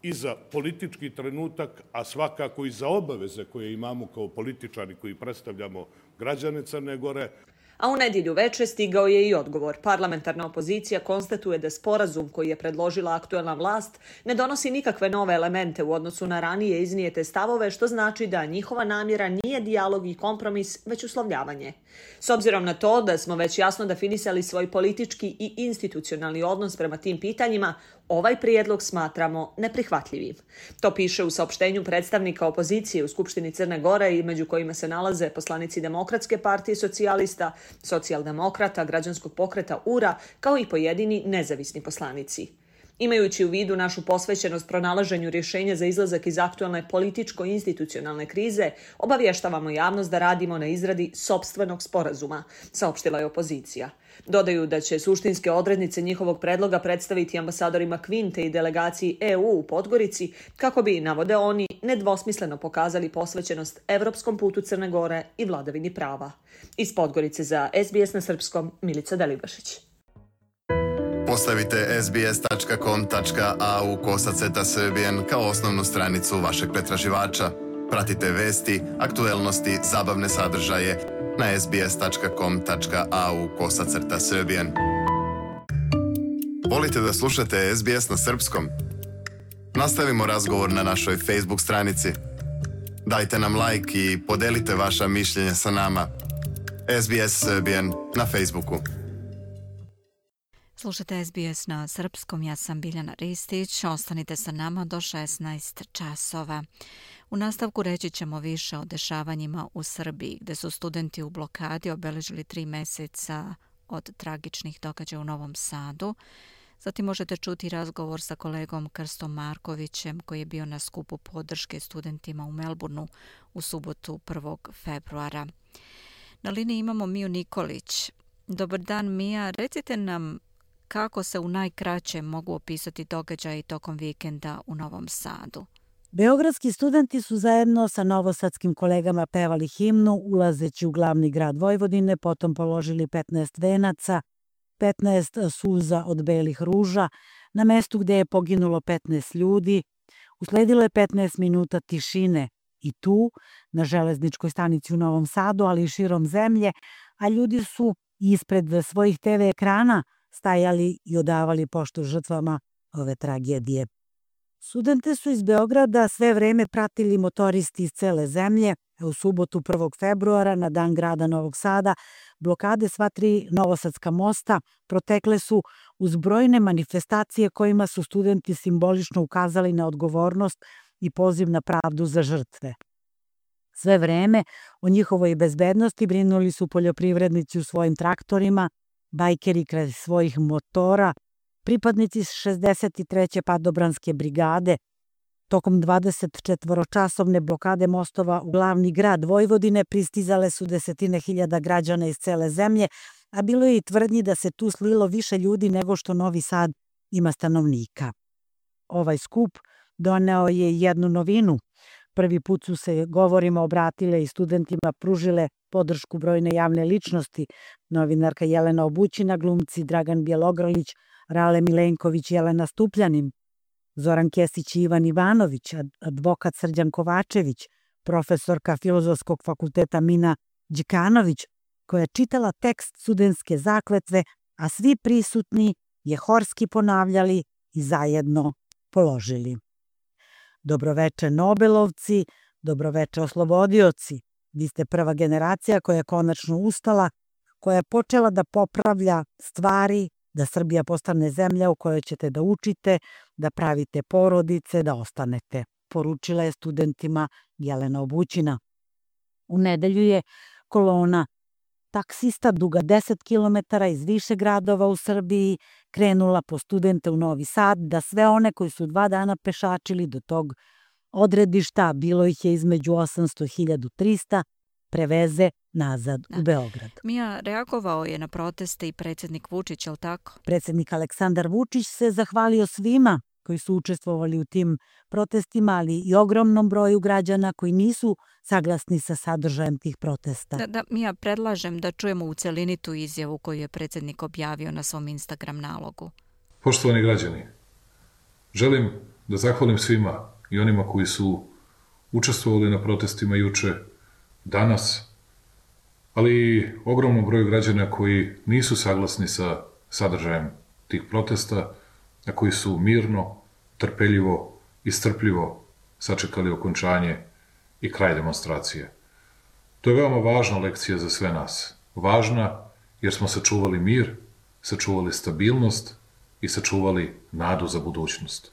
i za politički trenutak, a svakako i za obaveze koje imamo kao političari koji predstavljamo građane Crne Gore. A u nedjelju veče stigao je i odgovor. Parlamentarna opozicija konstatuje da sporazum koji je predložila aktuelna vlast ne donosi nikakve nove elemente u odnosu na ranije iznijete stavove, što znači da njihova namjera nije dijalog i kompromis, već uslovljavanje. S obzirom na to da smo već jasno definisali svoj politički i institucionalni odnos prema tim pitanjima, ovaj prijedlog smatramo neprihvatljivim. To piše u saopštenju predstavnika opozicije u Skupštini Crne Gore i među kojima se nalaze poslanici Demokratske partije socijalista, socijaldemokrata, građanskog pokreta URA, kao i pojedini nezavisni poslanici. Imajući u vidu našu posvećenost pronalaženju rješenja za izlazak iz aktualne političko-institucionalne krize, obavještavamo javnost da radimo na izradi sopstvenog sporazuma, saopštila je opozicija. Dodaju da će suštinske odrednice njihovog predloga predstaviti ambasadorima Kvinte i delegaciji EU u Podgorici, kako bi, navode oni, nedvosmisleno pokazali posvećenost evropskom putu Crne Gore i vladavini prava. Iz Podgorice za SBS na srpskom, Milica Delibašić. Postavite sbs.com.au/srbijen kao osnovnu stranicu vašeg pretraživača. Pratite vesti, aktuelnosti, zabavne sadržaje na sbs.com.au/srbijen. Volite da slušate SBS na srpskom? Nastavimo razgovor na našoj Facebook stranici. Dajte nam like i podelite vaša mišljenja sa nama. SBS Srbijen na Facebooku. Slušate SBS na srpskom, ja sam Biljana Ristić, ostanite sa nama do 16 časova. U nastavku reći ćemo više o dešavanjima u Srbiji, gde su studenti u blokadi obeležili 3 mjeseca od tragičnih događaja u Novom Sadu. Zatim možete čuti razgovor sa kolegom Krstom Markovićem koji je bio na skupu podrške studentima u Melbourneu u subotu 1. februara. Na liniji imamo Miju Nikolić. Dobar dan, Mija. Recite nam kako se u najkraćem mogu opisati događaji tokom vikenda u Novom Sadu. Beogradski studenti su zajedno sa novosadskim kolegama pevali himnu ulazeći u glavni grad Vojvodine, potom položili 15 venaca, 15 suza od belih ruža na mestu gdje je poginulo 15 ljudi. Usledilo je 15 minuta tišine i tu, na železničkoj stanici u Novom Sadu, ali i širom zemlje, a ljudi su ispred svojih TV ekrana stajali i odavali poštu žrtvama ove tragedije. Studente su iz Beograda sve vreme pratili motoristi iz cele zemlje. U subotu 1. februara, na dan grada Novog Sada, blokade sva 3 novosadska mosta protekle su uz brojne manifestacije kojima su studenti simbolično ukazali na odgovornost i poziv na pravdu za žrtve. Sve vreme o njihovoj bezbednosti brinuli su poljoprivrednici u svojim traktorima, bajkeri kraj svojih motora, pripadnici 63. padobranske brigade. Tokom 24-časovne blokade mostova u glavni grad Vojvodine pristizale su desetine hiljada građana iz cele zemlje, a bilo je i tvrdnji da se tu slilo više ljudi nego što Novi Sad ima stanovnika. Ovaj skup doneo je jednu novinu. Prvi put su se govorima obratile i studentima pružile podršku brojne javne ličnosti, novinarka Jelena Obućina, glumci Dragan Bjelogrlić, Rale Milenković, Jelena Stupljanin, Zoran Kesić i Ivan Ivanović, advokat Srđan Kovačević, profesorka Filozofskog fakulteta Mina Đikanović, koja je čitala tekst studentske zakletve, a svi prisutni je horski ponavljali i zajedno položili. Dobroveče Nobelovci, dobroveče oslobodioci. Vi ste prva generacija koja je konačno ustala, koja je počela da popravlja stvari, da Srbija postane zemlja u kojoj ćete da učite, da pravite porodice, da ostanete, poručila je studentima Jelena Obućina. U nedelju je kolona taksista duga 10 km iz više gradova u Srbiji krenula po studente u Novi Sad, da sve one koji su 2 dana pešačili do tog odredišta, bilo ih je između 800 i 1300, preveze nazad u Beograd. Mija, reagovao je na proteste i predsjednik Vučić, jel tako? Predsjednik Aleksandar Vučić se zahvalio svima koji su učestvovali u tim protestima, ali i ogromnom broju građana koji nisu saglasni sa sadržajem tih protesta. Mija, predlažem da čujemo u celini tu izjavu koju je predsjednik objavio na svom Instagram nalogu. Poštovani građani, želim da zahvalim svima i onima koji su učestvovali na protestima juče, danas, ali i ogromnom broju građana koji nisu saglasni sa sadržajem tih protesta, a koji su mirno, trpeljivo i strpljivo sačekali okončanje i kraj demonstracije. To je veoma važna lekcija za sve nas. Važna jer smo sačuvali mir, sačuvali stabilnost i sačuvali nadu za budućnost.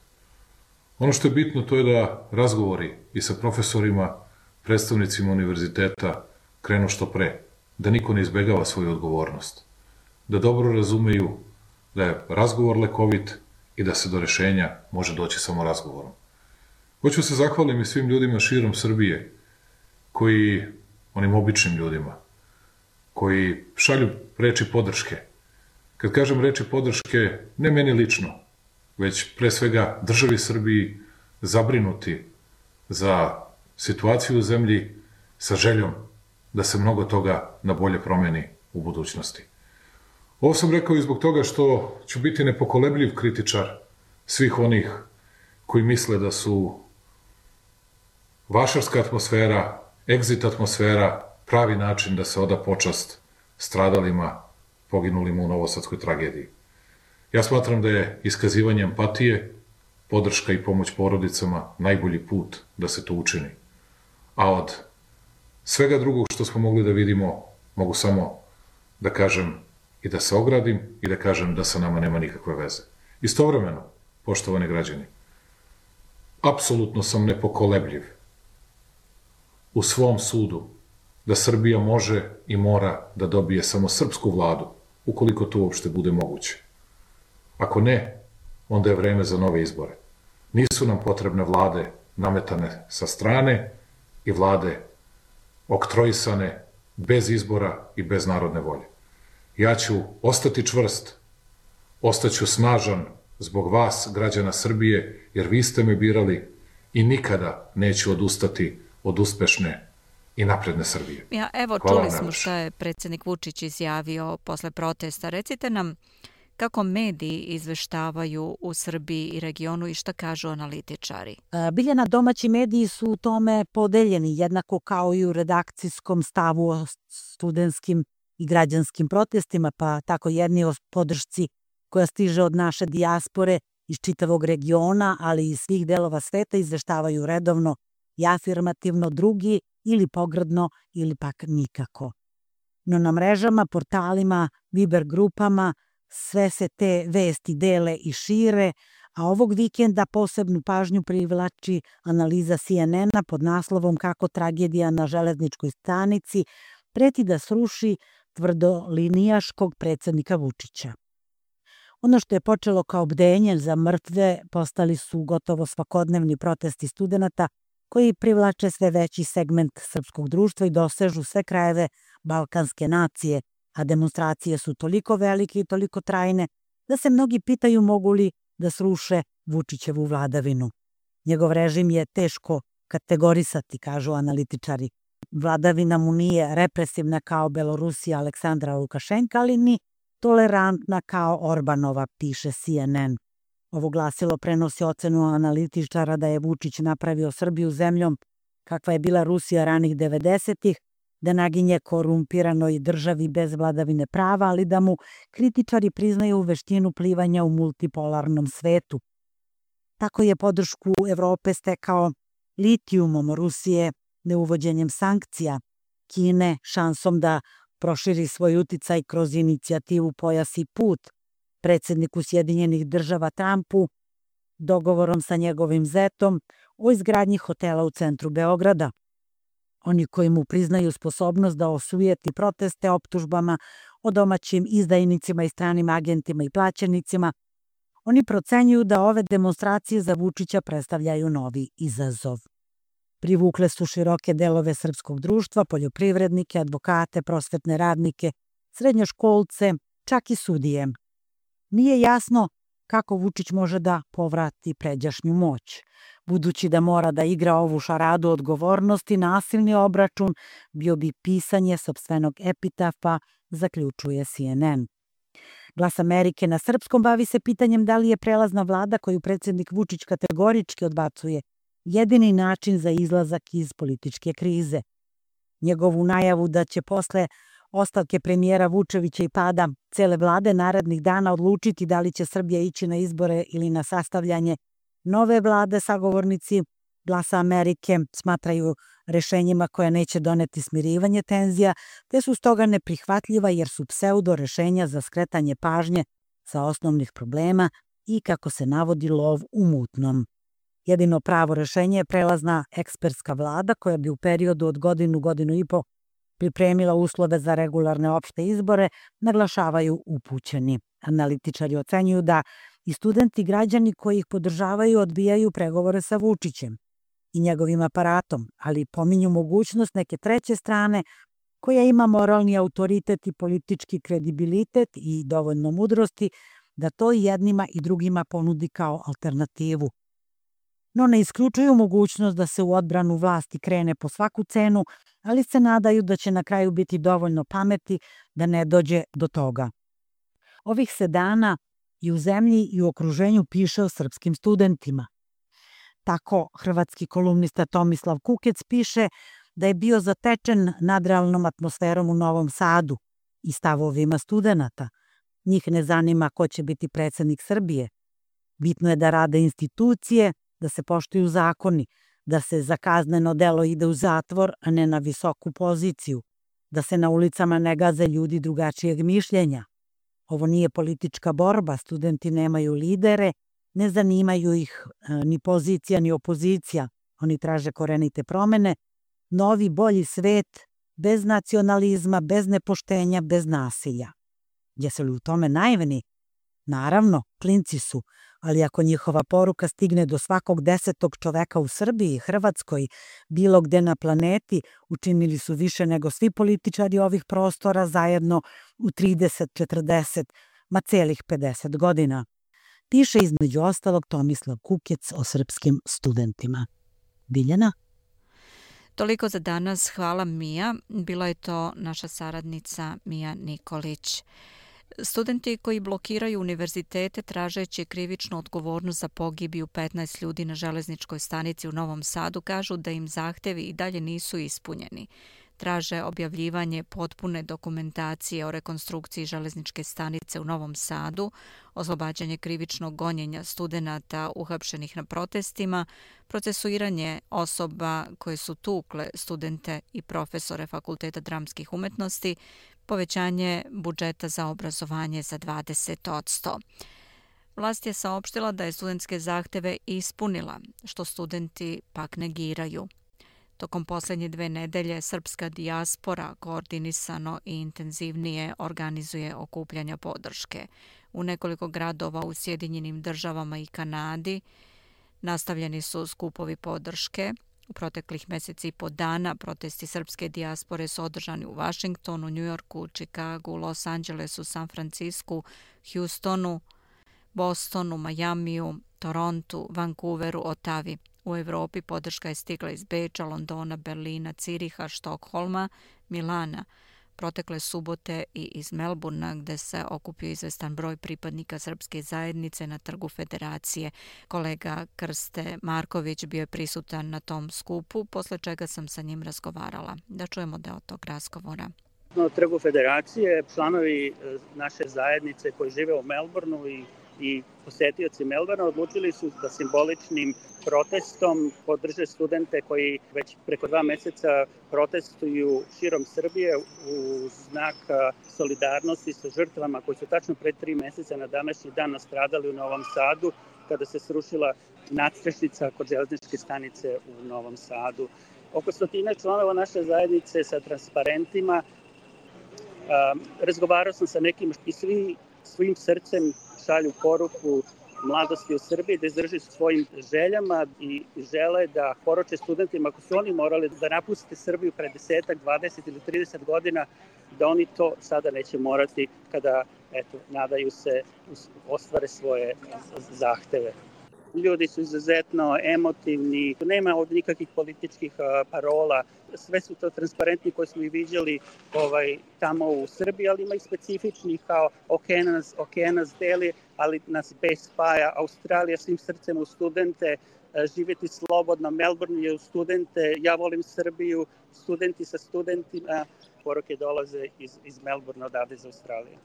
Ono što je bitno to je da razgovori i sa profesorima, predstavnicima univerziteta krenu što pre, da niko ne izbegava svoju odgovornost, da dobro razumeju da je razgovor lekovit i da se do rešenja može doći samo razgovorom. Hoću se zahvalim i svim ljudima širom Srbije, onim običnim ljudima, koji šalju reči podrške. Kad kažem reči podrške, ne meni lično, već pre svega državi Srbiji, zabrinuti za situaciju u zemlji sa željom da se mnogo toga na bolje promeni u budućnosti. Ovo sam rekao i zbog toga što ću biti nepokolebljiv kritičar svih onih koji misle da su vašarska atmosfera, egzit atmosfera pravi način da se oda počast stradalima, poginulima u novosadskoj tragediji. Ja smatram da je iskazivanje empatije, podrška i pomoć porodicama najbolji put da se to učini. A od svega drugog što smo mogli da vidimo, mogu samo da kažem i da se ogradim i da kažem da sa nama nema nikakve veze. Istovremeno, poštovani građani, apsolutno sam nepokolebljiv u svom sudu da Srbija može i mora da dobije samo srpsku vladu, ukoliko to uopšte bude moguće. Ako ne, onda je vreme za nove izbore. Nisu nam potrebne vlade nametane sa strane i vlade oktroisane bez izbora i bez narodne volje. Ja ću ostati čvrst, ostaću snažan zbog vas, građana Srbije, jer vi ste me birali i nikada neću odustati od uspešne i napredne Srbije. Evo, čuli smo šta je predsjednik Vučić izjavio posle protesta. Recite nam kako mediji izveštavaju u Srbiji i regionu i šta kažu analitičari? Biljana, domaći mediji su u tome podeljeni, jednako kao i u redakcijskom stavu o studentskim i građanskim protestima, pa tako jedni o podršci koja stiže od naše dijaspore iz čitavog regiona, ali i svih delova sveta izveštavaju redovno i afirmativno, drugi ili pogrdno ili pak nikako. No na mrežama, portalima, Viber grupama sve se te vesti dele i šire, a ovog vikenda posebnu pažnju privlači analiza CNN-a pod naslovom kako tragedija na železničkoj stanici preti da sruši tvrdolinijaškog predsjednika Vučića. Ono što je počelo kao bdenje za mrtve postali su gotovo svakodnevni protesti studenata koji privlače sve veći segment srpskog društva i dosežu sve krajeve balkanske nacije, a demonstracije su toliko velike i toliko trajne da se mnogi pitaju mogu li da sruše Vučićevu vladavinu. Njegov režim je teško kategorisati, kažu analitičari. Vladavina mu nije represivna kao Belorusija Aleksandra Lukašenka, ali ni tolerantna kao Orbanova, piše CNN. Ovo glasilo prenosi ocenu analitičara da je Vučić napravio Srbiju zemljom kakva je bila Rusija ranih 90-ih, da naginje korumpiranoj državi bez vladavine prava, ali da mu kritičari priznaju veštinu plivanja u multipolarnom svetu. Tako je podršku Evrope stekao litijumom Rusije, neuvođenjem sankcija, Kine šansom da proširi svoj uticaj kroz inicijativu Pojas i put, predsjedniku Sjedinjenih država Trumpu, dogovorom sa njegovim zetom o izgradnji hotela u centru Beograda. Oni koji mu priznaju sposobnost da osujeti proteste optužbama o domaćim izdajnicima i stranim agentima i plaćenicima, oni procenjuju da ove demonstracije za Vučića predstavljaju novi izazov. Privukle su široke delove srpskog društva, poljoprivrednike, advokate, prosvetne radnike, srednjoškolce, čak i sudije. Nije jasno kako Vučić može da povrati pređašnju moć. Budući da mora da igra ovu šaradu odgovornosti, nasilni obračun bio bi pisanje sopstvenog epitafa, zaključuje CNN. Glas Amerike na srpskom bavi se pitanjem da li je prelazna vlada koju predsjednik Vučić kategorički odbacuje jedini način za izlazak iz političke krize. Njegovu najavu da će posle ostavke premijera Vučevića i pada cele vlade narednih dana odlučiti da li će Srbija ići na izbore ili na sastavljanje nove vlade, sagovornici Glasa Amerike smatraju rešenjima koja neće doneti smirivanje tenzija, te su stoga neprihvatljiva jer su pseudo rešenja za skretanje pažnje sa osnovnih problema i, kako se navodi, lov u mutnom. Jedino pravo rešenje je prelazna ekspertska vlada koja bi u periodu od godinu i po pripremila uslove za regularne opšte izbore, naglašavaju upućeni. Analitičari ocenjuju da i studenti i građani koji ih podržavaju odbijaju pregovore sa Vučićem i njegovim aparatom, ali pominju mogućnost neke treće strane koja ima moralni autoritet i politički kredibilitet i dovoljno mudrosti da to jednima i drugima ponudi kao alternativu. No ne isključuju mogućnost da se u odbranu vlasti krene po svaku cenu, ali se nadaju da će na kraju biti dovoljno pameti da ne dođe do toga. Ovih se dana i u zemlji i u okruženju piše o srpskim studentima. Tako hrvatski kolumnista Tomislav Kukec piše da je bio zatečen nadrealnom atmosferom u Novom Sadu i stavovima studenata. Njih ne zanima ko će biti predsjednik Srbije. Bitno je da rade institucije, da se poštuju zakoni, da se za kazneno delo ide u zatvor, a ne na visoku poziciju, da se na ulicama ne gaze ljudi drugačijeg mišljenja. Ovo nije politička borba, studenti nemaju lidere, ne zanimaju ih ni pozicija ni opozicija. Oni traže korenite promene, novi, bolji svet, bez nacionalizma, bez nepoštenja, bez nasilja. Jesu li u tome naivni? Naravno, klinci su, ali ako njihova poruka stigne do svakog 10. čoveka u Srbiji, Hrvatskoj, bilo gde na planeti, učinili su više nego svi političari ovih prostora zajedno u 30, 40, ma celih 50 godina. Piše između ostalog Tomislav Kukec o srpskim studentima. Biljana? Toliko za danas. Hvala, Mija. Bila je to naša saradnica Mija Nikolić. Studenti koji blokiraju univerzitete tražeći krivičnu odgovornost za pogibiju 15 ljudi na železničkoj stanici u Novom Sadu kažu da im zahtevi i dalje nisu ispunjeni. Traže objavljivanje potpune dokumentacije o rekonstrukciji železničke stanice u Novom Sadu, oslobađanje krivičnog gonjenja studenata uhapšenih na protestima, procesuiranje osoba koje su tukle studente i profesore Fakulteta dramskih umetnosti, povećanje budžeta za obrazovanje za 20%. Vlast je saopštila da je studentske zahteve ispunila, što studenti pak negiraju. Tokom posljednje 2 nedelje srpska dijaspora koordinisano i intenzivnije organizuje okupljanja podrške. U nekoliko gradova u Sjedinjenim Državama i Kanadi nastavljeni su skupovi podrške. U proteklih mjeseci i po dana protesti srpske dijaspore su održani u Vašingtonu, Njujorku, Čikagu, Los Angelesu, San Francisku, Houstonu, Bostonu, Majamiju, Torontu, Vancouveru, Otavi. U Evropi podrška je stigla iz Beča, Londona, Berlina, Ciriha, Štokholma, Milana, protekle subote i iz Melburna, gde se okupio izvestan broj pripadnika srpske zajednice na Trgu Federacije. Kolega Krste Marković bio je prisutan na tom skupu, posle čega sam sa njim razgovarala. Da čujemo deo tog razgovora. Na Trgu Federacije članovi naše zajednice koji žive u Melbourneu i posetioci Melbournea odlučili su da simboličnim protestom podrže studente koji već preko 2 meseca protestuju širom Srbije u znak solidarnosti sa žrtvama koji su tačno pred 3 meseca na današnji dan nastradali u Novom Sadu kada se srušila nadstrešnica kod železničke stanice u Novom Sadu. Oko 100 članova naše zajednice sa transparentima. Razgovarao sam sa nekim i svi svojim srcem šalju poruku mladosti u Srbiji da izdrži svojim željama i žele da poruče studentima ako su oni morali da napuste Srbiju pre 10, 20 ili 30 godina, da oni to sada neće morati kada, nadaju se, ostvare svoje zahteve. Ljudi su izuzetno emotivni, nema ovdje nikakvih političkih parola, sve su to transparentni koji smo i viđali tamo u Srbiji, ali ima i specifičnih kao Okeanas deli, ali nas bez spaja. Australija svim srcem u studente, živjeti slobodno, Melbourne je u studente, ja volim Srbiju, studenti sa studentima, poruke dolaze iz Melbourne odavde iz Australije.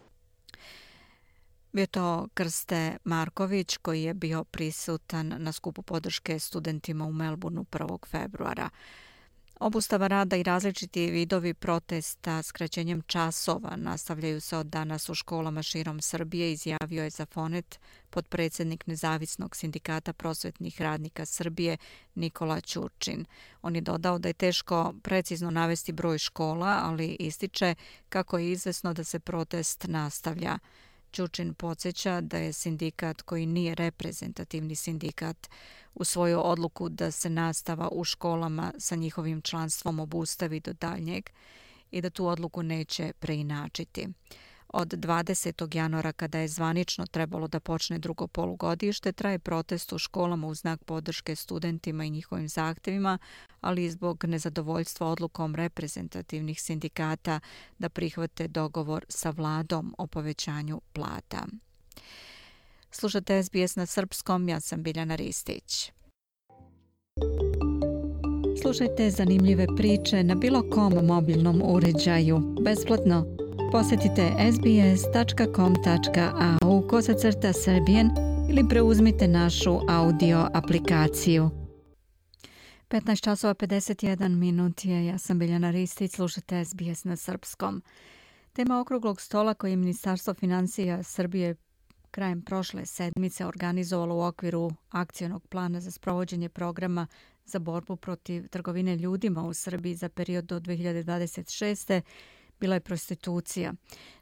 Bio to Krste Marković koji je bio prisutan na skupu podrške studentima u Melbourneu 1. februara. Obustava rada i različiti vidovi protesta skraćenjem časova nastavljaju se od danas u školama širom Srbije, izjavio je za Fonet potpredsjednik Nezavisnog sindikata prosvetnih radnika Srbije Nikola Ćurčin. On je dodao da je teško precizno navesti broj škola, ali ističe kako je izvesno da se protest nastavlja. Ćurčin podsjeća da je sindikat koji nije reprezentativni sindikat usvojio odluku da se nastava u školama sa njihovim članstvom obustavi do daljnjeg i da tu odluku neće preinačiti. Od 20. januara, kada je zvanično trebalo da počne drugo polugodište, traje protest u školama u znak podrške studentima i njihovim zahtjevima, ali i zbog nezadovoljstva odlukom reprezentativnih sindikata da prihvate dogovor sa vladom o povećanju plata. Slušate SBS na srpskom, ja sam Biljana Ristić. Slušajte zanimljive priče na bilo kom mobilnom uređaju, besplatno. Posjetite sbs.com.au/Serbian ili preuzmite našu audio aplikaciju. 15:51 je, ja sam Biljana Ristić, slušate SBS na srpskom. Tema okruglog stola koji je Ministarstvo financija Srbije krajem prošle sedmice organizovalo u okviru akcionog plana za sprovođenje programa za borbu protiv trgovine ljudima u Srbiji za period do 2026. bila je prostitucija.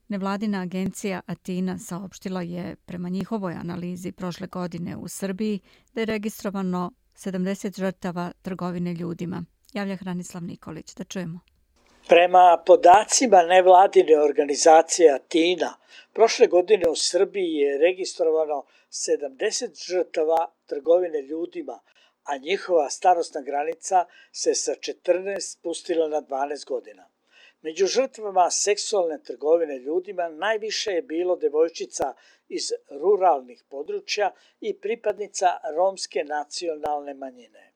Nevladina agencija Atina saopštila je prema njihovoj analizi prošle godine u Srbiji da je registrovano 70 žrtava trgovine ljudima. Javlja Hranislav Nikolić. Da čujemo. Prema podacima nevladine organizacije Atina, prošle godine u Srbiji je registrovano 70 žrtava trgovine ljudima, a njihova starosna granica se sa 14 spustila na 12 godina. Među žrtvama seksualne trgovine ljudima najviše je bilo devojčica iz ruralnih područja i pripadnica romske nacionalne manjine.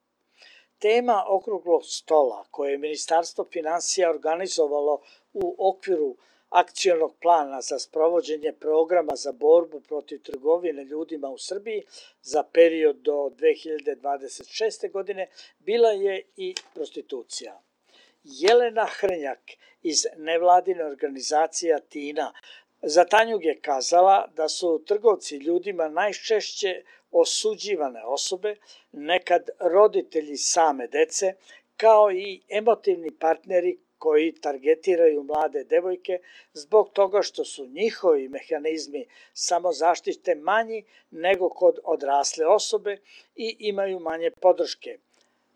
Tema okruglog stola koje je Ministarstvo financija organizovalo u okviru akcionog plana za sprovođenje programa za borbu protiv trgovine ljudima u Srbiji za period do 2026. godine bila je i prostitucija. Jelena Hrnjak iz nevladine organizacije Atina za Tanjug je kazala da su trgovci ljudima najčešće osuđivane osobe, nekad roditelji same dece, kao i emotivni partneri koji targetiraju mlade devojke zbog toga što su njihovi mehanizmi samozaštite manji nego kod odrasle osobe i imaju manje podrške.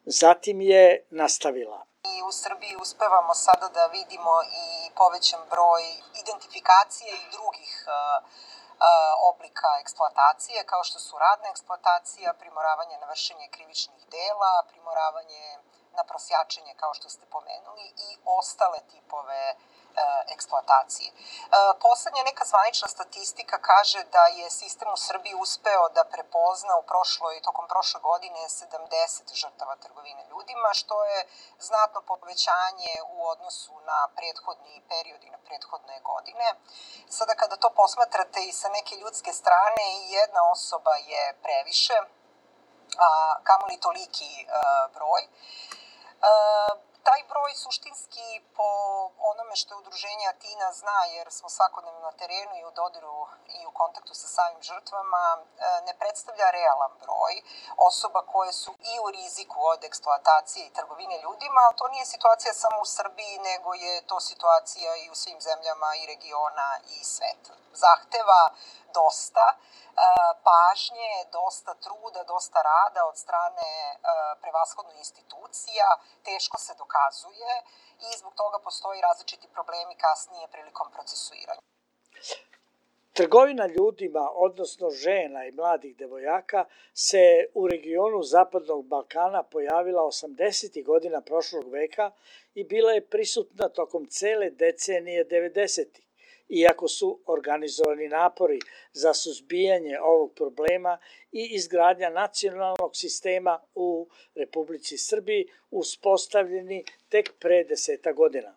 Zatim je nastavila. I u Srbiji uspevamo sada da vidimo i povećan broj identifikacije i drugih oblika eksploatacije, kao što su radna eksploatacija, primoravanje na vršenje krivičnih dela, primoravanje na prosjačenje, kao što ste pomenuli, i ostale tipove eksploatacije. Poslednja neka zvanična statistika kaže da je sistem u Srbiji uspeo da prepozna tokom prošle godine 70 žrtava trgovine ljudima, što je znatno povećanje u odnosu na prethodni period i na prethodne godine. Sada kada to posmatrate i sa neke ljudske strane, jedna osoba je previše, a kamoli toliki broj. Taj broj suštinski po onome što je udruženje Atina zna, jer smo svakodnevno na terenu i u dodiru i u kontaktu sa samim žrtvama, ne predstavlja realan broj osoba koje su i u riziku od eksploatacije i trgovine ljudima, ali to nije situacija samo u Srbiji, nego je to situacija i u svim zemljama i regiona i sveta. Zahteva dosta pažnje, dosta truda, dosta rada od strane prevashodno institucija, teško se dokazuje i zbog toga postoji različiti problemi kasnije prilikom procesuiranja. Trgovina ljudima, odnosno žena i mladih devojaka, se u regionu Zapadnog Balkana pojavila 80. godina prošlog veka i bila je prisutna tokom cele decenije 90. Iako su organizovani napori za suzbijanje ovog problema i izgradnja nacionalnog sistema u Republici Srbiji uspostavljeni tek pre 10 godina.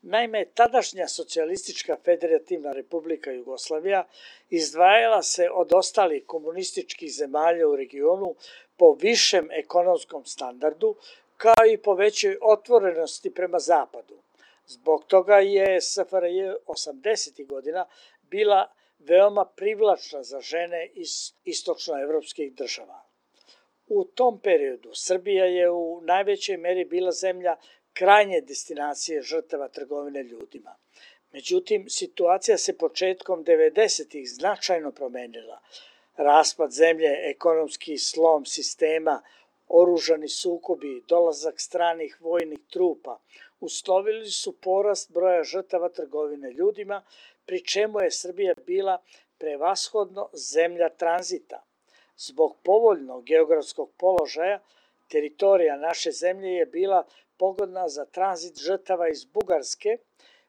Naime, tadašnja Socijalistička federativna republika Jugoslavija izdvajala se od ostalih komunističkih zemalja u regionu po višem ekonomskom standardu, kao i po većoj otvorenosti prema zapadu. Zbog toga je SFRJ 80. godina bila veoma privlačna za žene iz istočnoevropskih država. U tom periodu Srbija je u najvećoj meri bila zemlja krajnje destinacije žrtava trgovine ljudima. Međutim, situacija se početkom 90-ih značajno promenila. Raspad zemlje, ekonomski slom sistema, oružani sukobi, dolazak stranih vojnih trupa uslovili su porast broja žrtava trgovine ljudima, pri čemu je Srbija bila prevashodno zemlja tranzita. Zbog povoljnog geografskog položaja, teritorija naše zemlje je bila pogodna za tranzit žrtava iz Bugarske,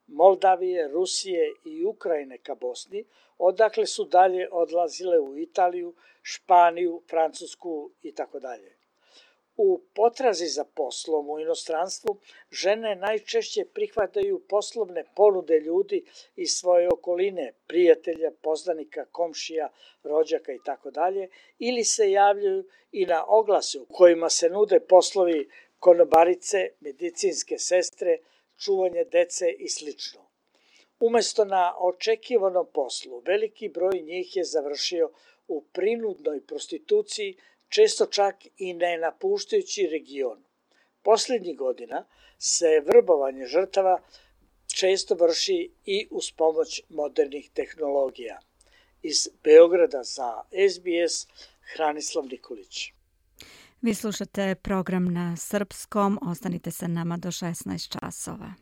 Moldavije, Rusije i Ukrajine ka Bosni, odakle su dalje odlazile u Italiju, Španiju, Francusku itd. U potrazi za poslom u inostranstvu žene najčešće prihvataju poslovne ponude ljudi iz svoje okoline, prijatelja, poznanika, komšija, rođaka itd. Ili se javljaju i na oglase u kojima se nude poslovi konobarice, medicinske sestre, čuvanje dece i sl. Umesto na očekivanom poslu, veliki broj njih je završio u prinudnoj prostituciji, često čak i ne napuštajući region. Poslednjih godina se vrbovanje žrtava često vrši i uz pomoć modernih tehnologija. Iz Beograda za SBS, Hranislav Nikolić. Vi slušate program na srpskom, ostanite sa nama do 16 časova.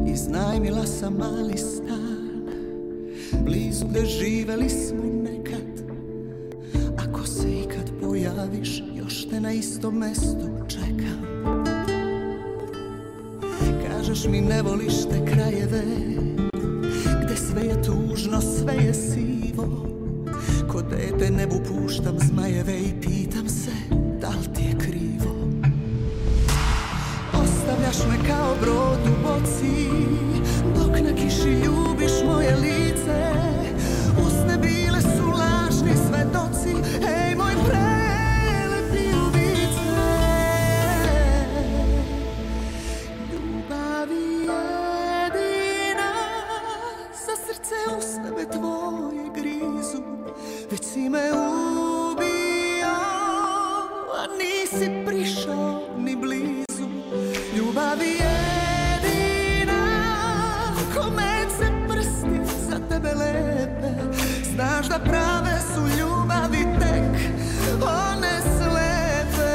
Iznajmila sam mali stan, blizu gde živeli smo nekad. Ako se ikad pojaviš, još te na istom mestu čekam. Kažeš mi ne voliš te krajeve, gde sve je tužno, sve je sivo. Ko dete nebu puštam zmajeve i pitam se da li ti je krivo. Ostavljaš me kao brod u boci, dok na kiši ljubiš moje lice. Usne bile su lažni svedoci, ej moj prelepi ubice. Ljubavi jedina, za srce uz tebe tvoje grizu. Već si me ubio, a nisi prišao ni blizu. Ljubavi jedina, kome se prsti za tebe lepe. Znaš da prave su ljubavi tek one slepe.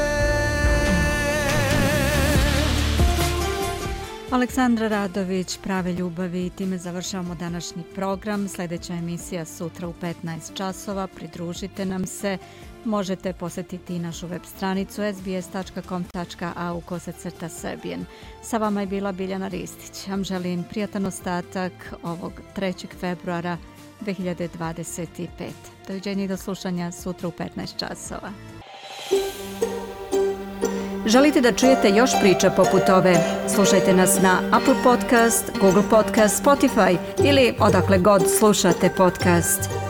Aleksandra Radović, Prave ljubavi, i time završavamo današnji program. Sljedeća emisija sutra u 15 časova. Pridružite nam se. Možete posjetiti našu web stranicu sbs.com.au/serbian. Sa vama je bila Biljana Ristić. Vam želim prijatan ostatak ovog 3. februara 2025. Doviđenja i do slušanja sutra u 15 časova. Želite da čujete još priča poput ove? Slušajte nas na Apple Podcast, Google Podcast, Spotify ili odakle god slušate podcast.